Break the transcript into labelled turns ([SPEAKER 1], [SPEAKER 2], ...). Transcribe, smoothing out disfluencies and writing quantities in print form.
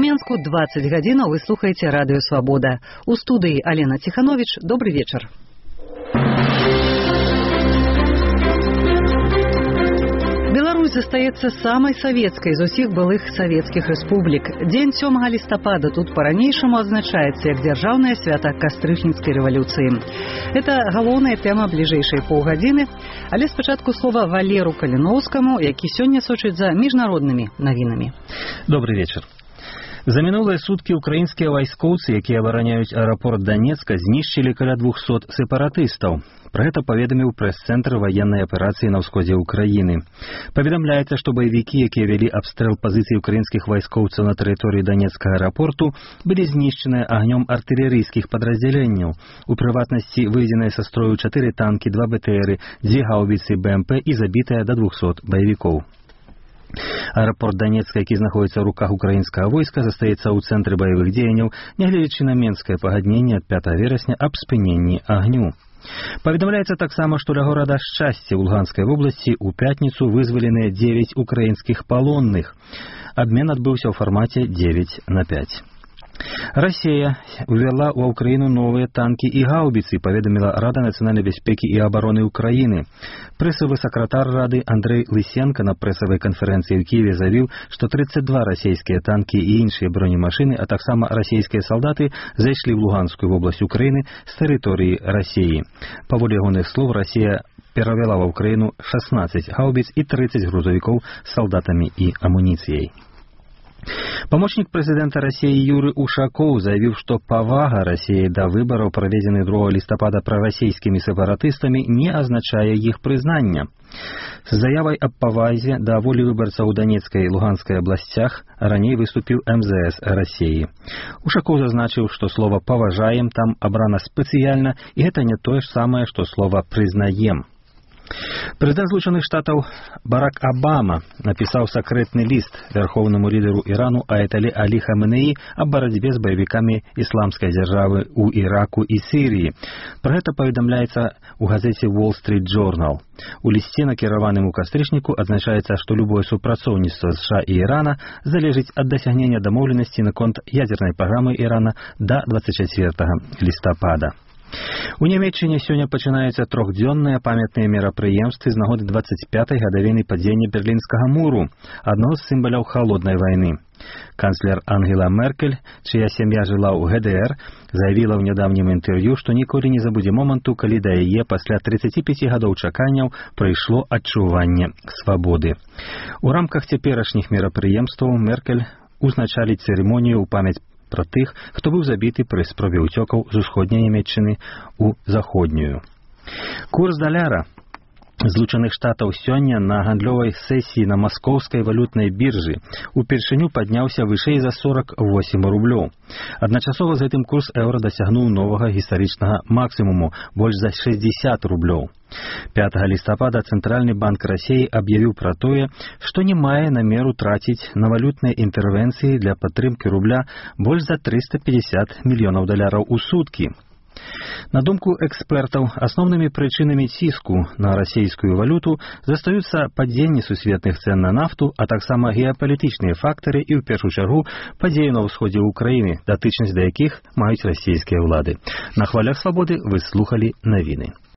[SPEAKER 1] Мінску 20 гадзінаў вы слухаеце радыё «Свабода». У студыі Алена Тиханович. Добрый вечер. Беларусь застаецца самай савецкай з усіх былых савецкіх рэспублік. Дзень 7 лістапада тут па-ранейшаму адзначаецца як дзяржаўнае свята кастрычніцкай рэвалюцыі. Это галоўная тэма бліжэйшай паўгадзіны, але спачатку слова Валеру Каліноўскаму, які сёння сочыць за міжнароднымі навінамі.
[SPEAKER 2] Добрый вечер. За мінулыя суткі украінскія вайскоўцы, якія абараняюць аэрапорт Донецка, знішчылі каля 200 сепаратыстаў. Пра гэта паведаміў прэс-цэнтр ваеннай аперацыі на ўсходзе ўкраіны. Паведамляецца, што баевікі, якія вялі абстрэл пазіцый украінскіх вайскоўцаў на тэрыторыі Донецкага аэрапорту, былі знішчаныя агнём артылерыйскіх падраздзяленняў. У прыватнасці выведзеныя са строю 4 танкі, 2 БТРы, 2 гаўбіцы БМП і забітыя да 200 баевікоў. Аэрапорт Донецка, які знаходіцца ў руках украінскага войска, застаецца ў цэнтры баявых дзеянняў, нягледзячы на менскае пагадненне ад 5 верасня аб спыненні агню. Паведамляецца таксама, што ля горада Шчасце ў Луганскай вобласці ў пятніцу вызваленыя 9 украінскіх палонных. Абмен адбыўся ў фармаце 9/5. Россия увела ў Украіну новыя танкі і гаўбіцы, паведаміла Рада нацыянальнай бяспекі і абароны Украіны. Прэсавы сакратар Рады Андрэй Лысенко на прэсавай канферэнцыі ў Кіеве заявіў, што 32 расійскія танкі і іншыя бронемашыны, а таксама расійскія салдаты зайшлі ў Луганскую вобласць Украіны з тэрыторыі Расіі. Паводле ягоных слоў, Расія перавяла ва Украіну 16 гаўбіц і 30 грузавікоў з салдатамі і амуніцыяй. Памочнік прэзідэнта Расіі Юрый Ушакоў заявіў, што павага Расіі да выбараў, праведзеных 2 лістапада прарасійскімі сепаратыстамі, не азначае іх прызнання. З заявай аб павазе да волі выбарцаў у Донецкай і Луганскай абласцях раней выступіў МЗС Расіі. Ушакоў зазначыў, што слова «паважаем» там абрана спецыяльна, і гэта не тое ж самае, што слова «прызнаем». Прэзідэнт Злучаных Штатаў Барак Абама напісаў сакрэтны ліст вярхоўнаму лідару Ірану Аятолле Алі Хаменеі аб барацьбе з баевікамі ісламскай дзяржавы ў Іраку і Сірыі. Пра гэта паведамляецца ў газеце Wall Street Journal. У лісце, накіраваным у кастрычніку, адзначаецца, што любое супрацоўніцтва США і Ірана залежыць ад дасягнення дамоўленасці наконт ядзернай праграмы Ірана да 24 лістапада. У Нямецчыне сёння пачынаюцца 3-дзённыя памятныя мерапрыемствы з нагоды 25-й гадавіны падзення Берлінскага муру, адно з сімваляў халоднай вайны. Канцлер Ангела Меркель, чыя сям'я жыла ў ГДР, заявіла ў нядаўнім інтэрв'ю, што ніколі не забудзе моманту, калі да яе пасля 35 гадоў чаканняў прыйшло адчуванне свабоды. У рамках цяперашніх мерапрыемстваў Меркель узначаліць цырымонію ў памяць пра тых, хто быў забіты пры спробе ўцёкаў з усходняй Нямецчыны ў заходнюю. Курс даляра Злучаных Штатаў сёння на гандлёвай сесіі на маскоўскай валютнай біржы упершыню падняўся вышэй за 48 рублёў. Адначасова з гэтым курс еўра дасягнуў новага гістарычнага максімуму, больш за 60 рублёў. 5 лістапада Цэнтральны банк Расіі аб'явіў пра тое, што не мае намеру траціць на валютныя інтэрвенцыі для падтрымкі рубля больш за 350 мільёнаў даляраў у суткі. На думку экспертаў, асноўнымі прычынамі ціску на расійскую валюту застаюцца падзенне сусветных цэн на нафту, а таксама геапалітычныя фактары і, ў першую чаргу, падзеі на ўсходзе ўкраіны, датычнасць да якіх маюць расійскія ўлады. На хвалях свабоды вы слухалі навіны.